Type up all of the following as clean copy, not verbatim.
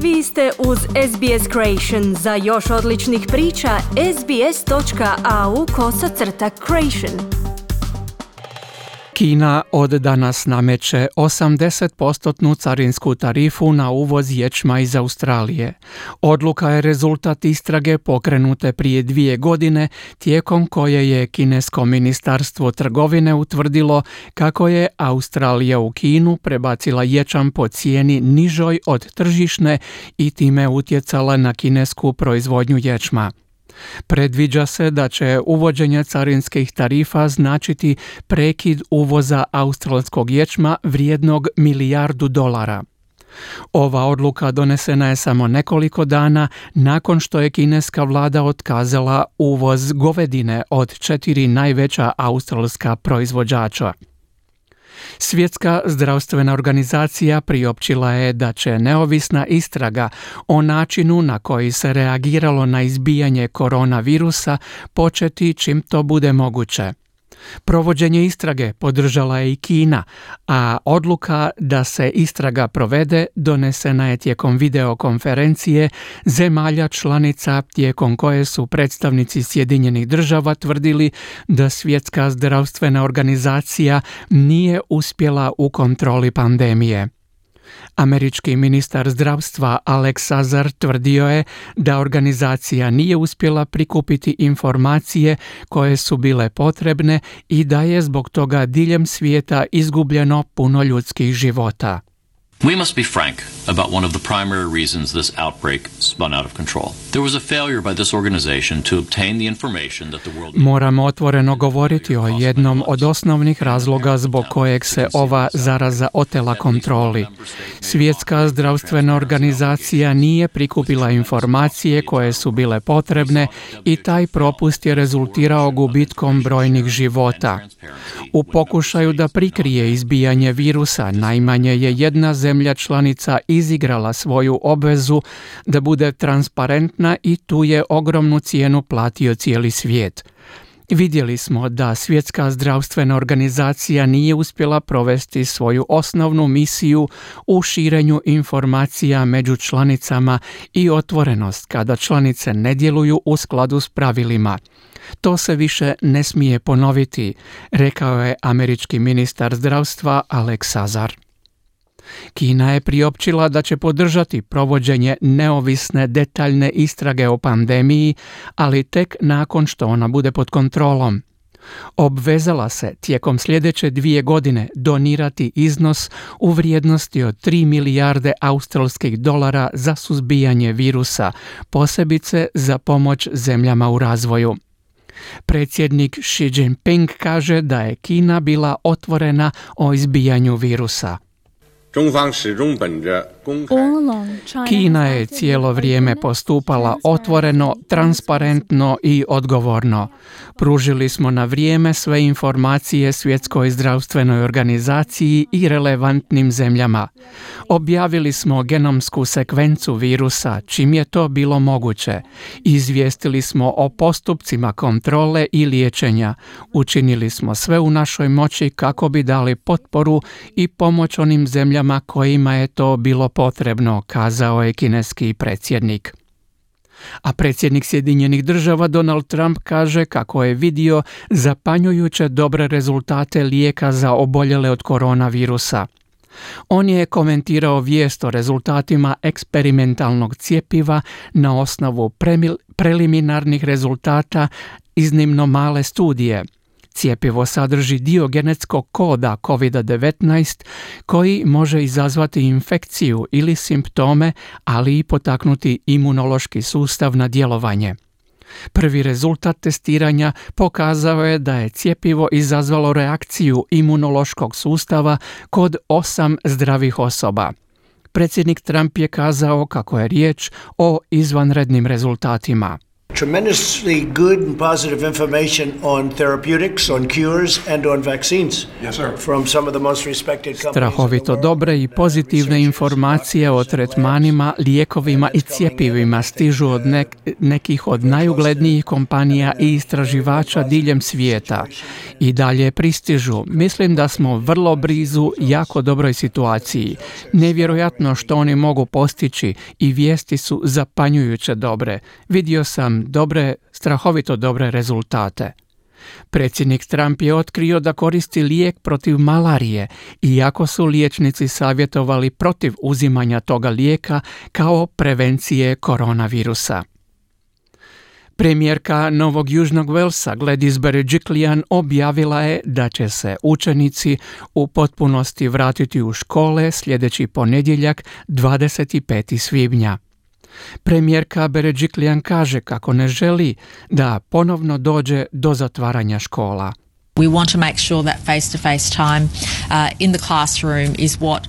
Vi ste uz SBS Creation. Za još odličnih priča, sbs.au/creation. Kina od danas nameće 80% carinsku tarifu na uvoz ječma iz Australije. Odluka je rezultat istrage pokrenute prije 2 godine, tijekom koje je kinesko ministarstvo trgovine utvrdilo kako je Australija u Kinu prebacila ječam po cijeni nižoj od tržišne i time utjecala na kinesku proizvodnju ječma. Predviđa se da će uvođenje carinskih tarifa značiti prekid uvoza australskog ječma vrijednog $1 milijardu. Ova odluka donesena je samo nekoliko dana nakon što je kineska vlada otkazala uvoz govedine od 4 najveća australska proizvođača. Svjetska zdravstvena organizacija priopćila je da će neovisna istraga o načinu na koji se reagiralo na izbijanje koronavirusa početi čim to bude moguće. Provođenje istrage podržala je i Kina, a odluka da se istraga provede donesena je tijekom videokonferencije zemalja članica tijekom koje su predstavnici Sjedinjenih Država tvrdili da Svjetska zdravstvena organizacija nije uspjela u kontroli pandemije. Američki ministar zdravstva Alex Azar tvrdio je da organizacija nije uspjela prikupiti informacije koje su bile potrebne i da je zbog toga diljem svijeta izgubljeno puno ljudskih života. We must be frank about one of the primary reasons this outbreak spun out of control. There was a failure by this organization to obtain the information that the world... Moramo otvoreno govoriti o jednom od osnovnih razloga zbog kojeg se ova zaraza otela kontroli. Svjetska zdravstvena organizacija nije prikupila informacije koje su bile potrebne i taj propust je rezultirao gubitkom brojnih života. U pokušaju da prikrije izbijanje virusa, najmanje je jedna zemlja članica izigrala svoju obvezu da bude transparentna i tu je ogromnu cijenu platio cijeli svijet. Vidjeli smo da Svjetska zdravstvena organizacija nije uspjela provesti svoju osnovnu misiju u širenju informacija među članicama i otvorenost kada članice ne djeluju u skladu s pravilima. To se više ne smije ponoviti, rekao je američki ministar zdravstva Alex Azar. Kina je priopćila da će podržati provođenje neovisne detaljne istrage o pandemiji, ali tek nakon što ona bude pod kontrolom. Obvezala se tijekom sljedeće 2 godine donirati iznos u vrijednosti od $3 milijarde australskih dolara za suzbijanje virusa, posebice za pomoć zemljama u razvoju. Predsjednik Xi Jinping kaže da je Kina bila otvorena o izbijanju virusa. Kina je cijelo vrijeme postupala otvoreno, transparentno i odgovorno. Pružili smo na vrijeme sve informacije Svjetskoj zdravstvenoj organizaciji i relevantnim zemljama. Objavili smo genomsku sekvencu virusa čim je to bilo moguće. Izvijestili smo o postupcima kontrole i liječenja. Učinili smo sve u našoj moći kako bi dali potporu i pomoć onim zemljama kojima je to bilo potrebno, kazao je kineski predsjednik. A predsjednik Sjedinjenih Država Donald Trump kaže kako je vidio zapanjujuće dobre rezultate lijeka za oboljele od koronavirusa. On je komentirao vijest o rezultatima eksperimentalnog cjepiva na osnovu preliminarnih rezultata iznimno male studije. Cjepivo sadrži dio genetskog koda COVID-19 koji može izazvati infekciju ili simptome, ali i potaknuti imunološki sustav na djelovanje. Prvi rezultat testiranja pokazao je da je cjepivo izazvalo reakciju imunološkog sustava kod 8 zdravih osoba. Predsjednik Trump je kazao kako je riječ o izvanrednim rezultatima. tremendously good and positive information on therapeutics, on cures and on vaccines. Yes, sir. From some of the most respected companies. Strahovito dobre i pozitivne informacije o tretmanima, lijekovima i cjepivima stižu od nekih od najuglednijih kompanija i istraživača diljem svijeta. I dalje pristižu. Mislim da smo vrlo blizu jako dobroj situaciji. Nevjerojatno što oni mogu postići i vijesti su zapanjujuće dobre. Vidio sam strahovito dobre rezultate. Predsjednik Trump je otkrio da koristi lijek protiv malarije, iako su liječnici savjetovali protiv uzimanja toga lijeka kao prevencije koronavirusa. Premijerka Novog Južnog Velsa Gladys Berejiklian objavila je da će se učenici u potpunosti vratiti u škole sljedeći ponedjeljak 25. svibnja. Premijerka Berejiklian kaže kako ne želi da ponovno dođe do zatvaranja škola. We want to make sure that face-to-face time in the classroom is what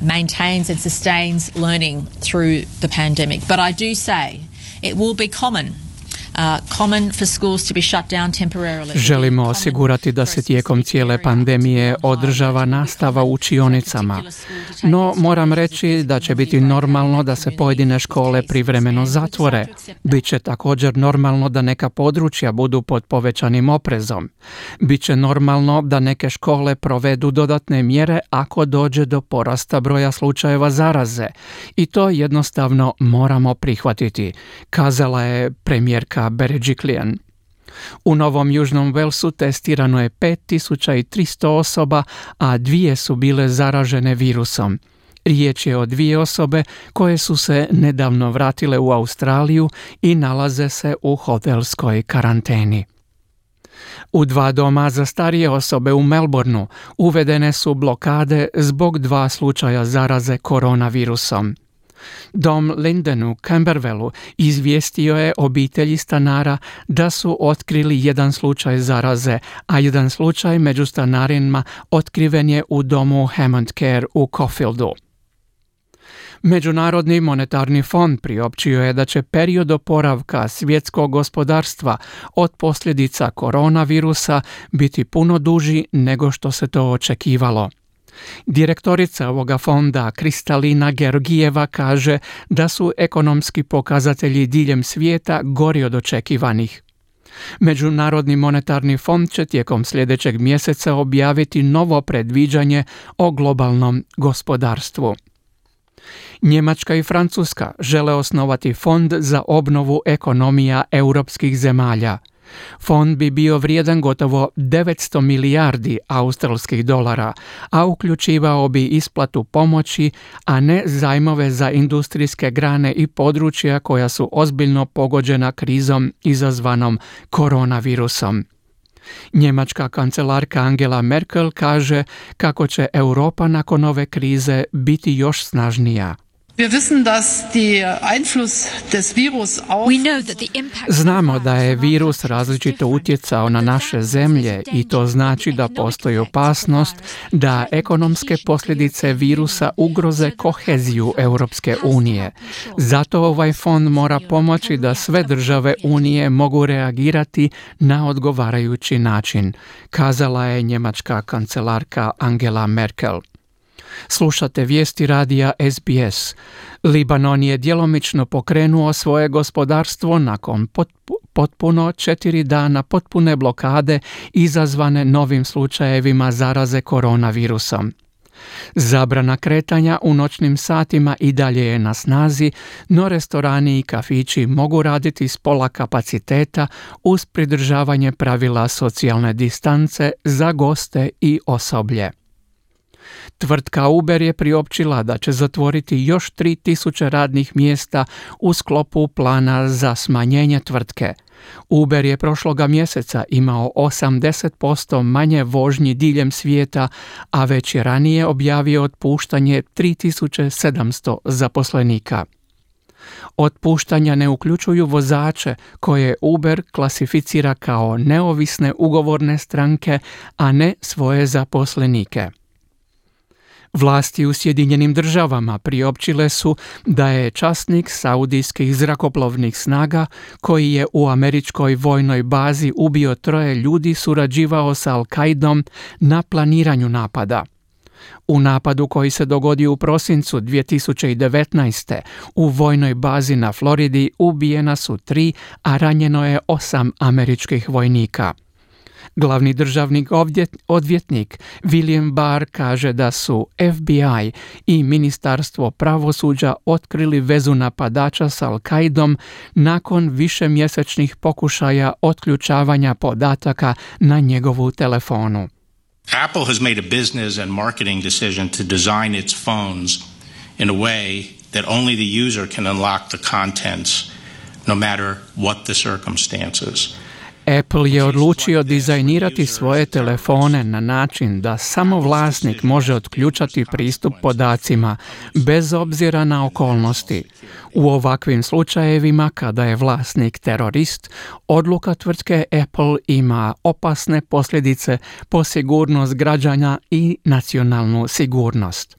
maintains and sustains learning through the pandemic. But I do say it will be common for schools to be shut down temporarily. Želimo osigurati da se tijekom cijele pandemije održava nastava u učionicama. No, moram reći da će biti normalno da se pojedine škole privremeno zatvore. Biće također normalno da neka područja budu pod povećanim oprezom. Biće normalno da neke škole provedu dodatne mjere ako dođe do porasta broja slučajeva zaraze. I to jednostavno moramo prihvatiti, kazala je premijerka Berejiklian. U Novom Južnom Velsu testirano je 5300 osoba, a 2 su bile zaražene virusom. Riječ je o 2 osobe koje su se nedavno vratile u Australiju i nalaze se u hotelskoj karanteni. U 2 doma za starije osobe u Melbourneu uvedene su blokade zbog 2 slučaja zaraze koronavirusom. Dom Linden u Camberwellu izvijestio je obitelji stanara da su otkrili 1 slučaj zaraze, a 1 slučaj među stanarima otkriven je u domu Hammond Care u Caulfieldu. Međunarodni monetarni fond priopćio je da će period oporavka svjetskog gospodarstva od posljedica koronavirusa biti puno duži nego što se to očekivalo. Direktorica ovoga fonda Kristalina Georgijeva kaže da su ekonomski pokazatelji diljem svijeta gori od očekivanih. Međunarodni monetarni fond će tijekom sljedećeg mjeseca objaviti novo predviđanje o globalnom gospodarstvu. Njemačka i Francuska žele osnovati fond za obnovu ekonomija europskih zemalja. Fond bi bio vrijedan gotovo 900 milijardi australskih dolara, a uključivao bi isplatu pomoći, a ne zajmove za industrijske grane i područja koja su ozbiljno pogođena krizom izazvanom koronavirusom. Njemačka kancelarka Angela Merkel kaže kako će Europa nakon ove krize biti još snažnija. Znamo da je virus različito utjecao na naše zemlje i to znači da postoji opasnost da ekonomske posljedice virusa ugroze koheziju Europske unije. Zato ovaj fond mora pomoći da sve države Unije mogu reagirati na odgovarajući način, kazala je njemačka kancelarka Angela Merkel. Slušate vijesti radija SBS. Libanon je djelomično pokrenuo svoje gospodarstvo nakon potpuno 4 dana potpune blokade izazvane novim slučajevima zaraze koronavirusom. Zabrana kretanja u noćnim satima i dalje je na snazi, no restorani i kafići mogu raditi s pola kapaciteta uz pridržavanje pravila socijalne distance za goste i osoblje. Tvrtka Uber je priopćila da će zatvoriti još 3000 radnih mjesta u sklopu plana za smanjenje tvrtke. Uber je prošloga mjeseca imao 80% manje vožnji diljem svijeta, a već je ranije objavio otpuštanje 3700 zaposlenika. Otpuštanja ne uključuju vozače koje Uber klasificira kao neovisne ugovorne stranke, a ne svoje zaposlenike. Vlasti u Sjedinjenim državama priopćile su da je časnik saudijskih zrakoplovnih snaga koji je u američkoj vojnoj bazi ubio 3 ljudi surađivao sa Al-Kaidom na planiranju napada. U napadu koji se dogodio u prosincu 2019. u vojnoj bazi na Floridi ubijena su 3, a ranjeno je 8 američkih vojnika. Glavni državni odvjetnik William Barr kaže da su FBI i Ministarstvo pravosuđa otkrili vezu napadača s Al-Kaidom nakon višemjesečnih pokušaja otključavanja podataka na njegovu telefonu. Apple has made a business and marketing decision to design its phones in a way that only the user can unlock the contents, no matter what the circumstances. Apple je odlučio dizajnirati svoje telefone na način da samo vlasnik može otključati pristup podacima, bez obzira na okolnosti. U ovakvim slučajevima, kada je vlasnik terorist, odluka tvrtke Apple ima opasne posljedice po sigurnost građana i nacionalnu sigurnost.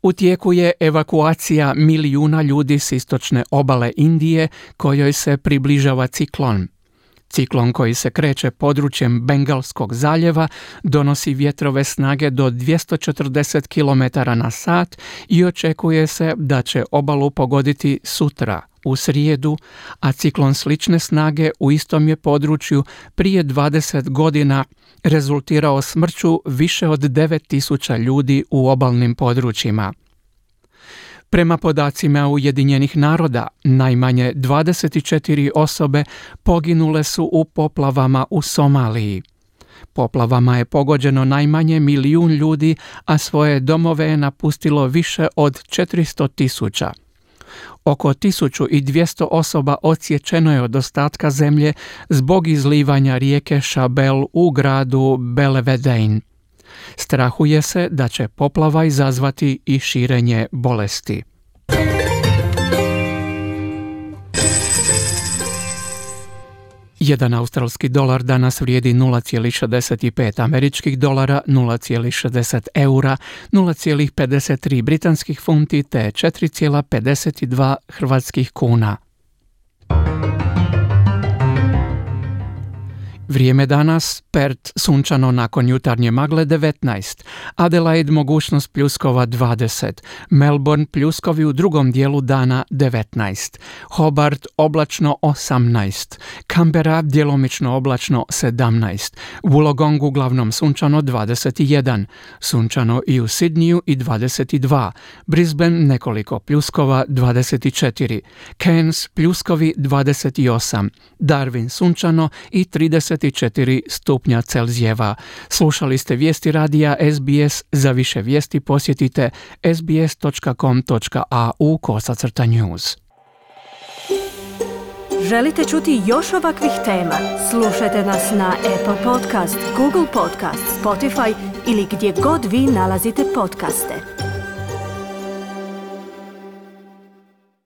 U tijeku je evakuacija milijuna ljudi s istočne obale Indije kojoj se približava ciklon. Ciklon koji se kreće područjem Bengalskog zaljeva donosi vjetrove snage do 240 km/h i očekuje se da će obalu pogoditi sutra, u srijedu, a ciklon slične snage u istom je području prije 20 godina rezultirao smrću više od 9.000 ljudi u obalnim područjima. Prema podacima Ujedinjenih naroda, najmanje 24 osobe poginule su u poplavama u Somaliji. Poplavama je pogođeno najmanje 1 milijun ljudi, a svoje domove je napustilo više od 400.000. Oko 1200 osoba odsječeno je od ostatka zemlje zbog izlivanja rijeke Shabelle u gradu Belvedere. Strahuje se da će poplava izazvati i širenje bolesti. Jedan australski dolar danas vrijedi 0,65 američkih dolara, 0,60 eura, 0,53 britanskih funti te 4,52 hrvatskih kuna. Vrijeme danas, Perth sunčano nakon jutarnje magle 19, Adelaide mogućnost pljuskova 20, Melbourne pljuskovi u drugom dijelu dana 19, Hobart oblačno 18, Canberra djelomično oblačno 17, Wollongong uglavnom sunčano 21, sunčano i u Sydneyu i 22, Brisbane nekoliko pljuskova 24, Cairns pljuskovi 28, Darwin sunčano i 34 stupnja Celzijeva. Slušali ste vijesti radija SBS. Za više vijesti posjetite sbs.com.au/news. Želite čuti još ovakvih tema? Slušajte nas na Apple Podcast, Google Podcast, Spotify ili gdje god vi nalazite podcaste.